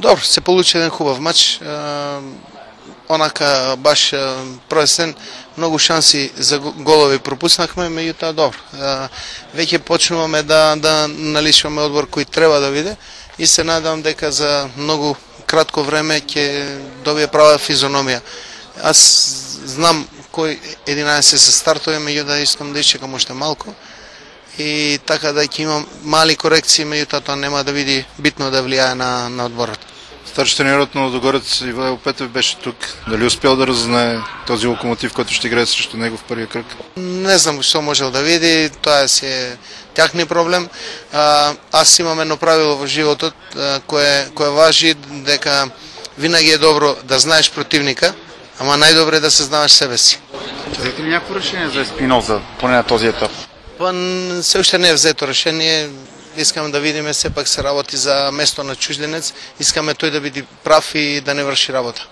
Добро, се получи еден хубав мач. Онака баш првесен многу шанси за голови пропуснахме, меѓутоа добро. Веќе почнуваме да наличуваме одбор кој треба да биде и се надевам дека за многу кратко време ќе добие права физиономија. Аз знам кој 11 се стартува, меѓутоа искам да исчекам уште малку и така да ќе имам мали корекции, меѓутоа тоа нема да биде битно да влијае на одборот. Старши тренерот на Лудогорец Ивайло Петев беше тук. Дали успел да раззнае този Локомотив, който ще играе срещу него в първия кръг? Не знам што можел да види, тоа е тяхни проблем. Аз имам едно правило во животот кое важи, дека винаги е добро да знаеш противника, ама најдобре е да се знаеш себе си. Чакате ли някакво решение за Еспиноза, поне на този етап? Па се уште не е взето решение. Искаме да видиме, сепак се работи за место на чужденец, искаме тој да биде прав и да не врши работа.